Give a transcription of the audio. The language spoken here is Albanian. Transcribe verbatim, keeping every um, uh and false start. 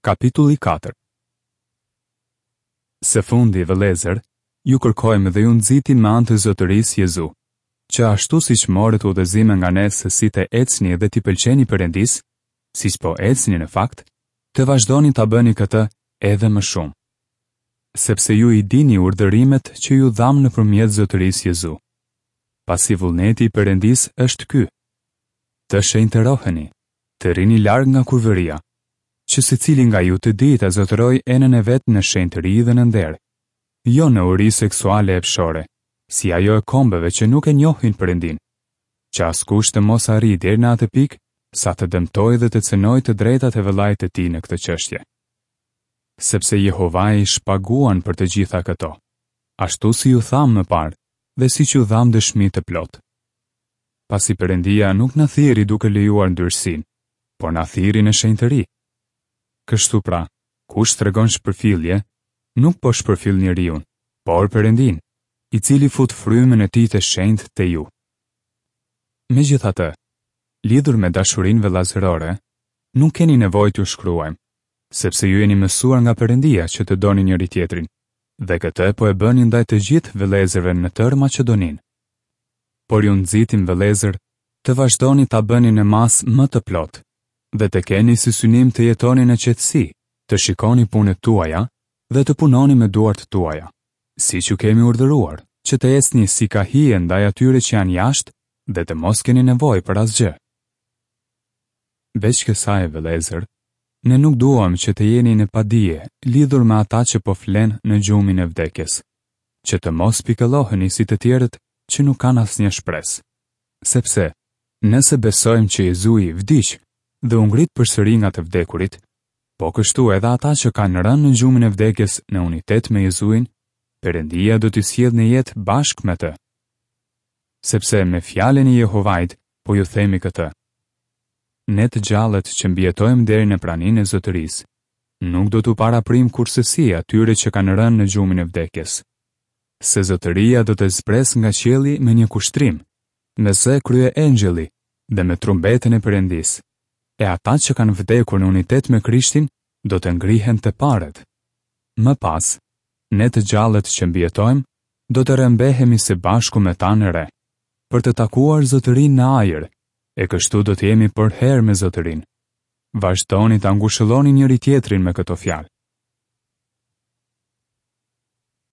Kapitulli katër. Së fundi, vëllezër, ju kërkojmë dhe ju nxitim me anë të Zotërisë Jezu, që ashtu siç morët udhëzime nga ne se si të ecni dhe t'i pëlqeni Perëndisë, siç po ecni në fakt, të vazhdoni ta bëni këtë edhe më shumë. Sepse ju i dini urdhërimet që ju dhamë nëpërmjet Zotërisë Jezu. Pasi vullneti i Perëndisë është ky: të shenjtëroheni, të rrini larg nga kurvëria, që secili nga ju të dijë ta zotërojë enën e vet në shenjtëri dhe në nder, jo në uri seksuale epshore, si ajo e kombeve që nuk e njohin Perëndin, që askush të mos arrijë deri në atë pikë sa të dëmtojë dhe të cënojë të drejtat e vëllait të tij në këtë çështje. Sepse Jehovai shpaguan për të gjitha këto, ashtu si ju thamë më parë dhe siç ju dhamë dëshmi të plotë. Pasi Perëndia nuk na thirri duke lejuar ndyrësinë, por na thirri në shenjtëri. Kështu pra, kush tregon shpërfillje, nuk po shpërfill njeriun, por Perëndin, i cili fut frymën e tij të shenjtë te ju. Megjithatë, lidhur me dashurinë vëllazërore, nuk keni nevojë t'ju shkruajmë, sepse ju jeni mësuar nga Perëndia që të doni njëri tjetrin, dhe këtë po e bëni ndaj të gjithë vëllezërve në tërë Maqedoninë. Por ju nxitim, vëllezër, të vazhdoni ta bëni në masë më të plotë dhe të keni si synim të jetoni në qetësi, të shikoni punët tuaja dhe të punoni me duart tuaja, siç ju kemi urdhëruar, që të ecni si ka hije ndaj atyre që janë jashtë dhe të mos keni nevojë për asgjë. Veç kësaj, vëllezër, ne nuk duam që të jeni në padije lidhur me ata që po flen në gjumin e vdekjes, që të mos pikëlloheni si të tjerët që nuk kanë asnjë shpresë. Sepse, nëse besojmë që Jezui vdiq dhe u ngrit përsëri nga të vdekurit, po kështu edhe ata që kanë rënë në gjumin e vdekjes në unitet me Jezuin, Perëndia do t'i sjellë në jetë bashkë me të. Sepse me fjalën e Jehovait po ju themi këtë: Ne të gjallët që mbijetojmë deri në praninë e Zotërisë, nuk do t'u paraprim kursesi atyre që kanë rënë në gjumin e vdekjes. Se Zotëria do të zbresë nga qielli me një kushtrim, me zë krye engjëlli dhe me trumbetën e Perëndisë, e ata që kanë vdekur në unitet me Krishtin do të ngrihen të parët. Më pas, ne të gjallët që mbijetojmë do të rrëmbehemi së bashku me ta në re, për të takuar Zotërinë në ajër, e kështu do të jemi përherë me Zotërinë. Vazhdoni ta ngushëlloni njëri tjetrin me këto fjalë.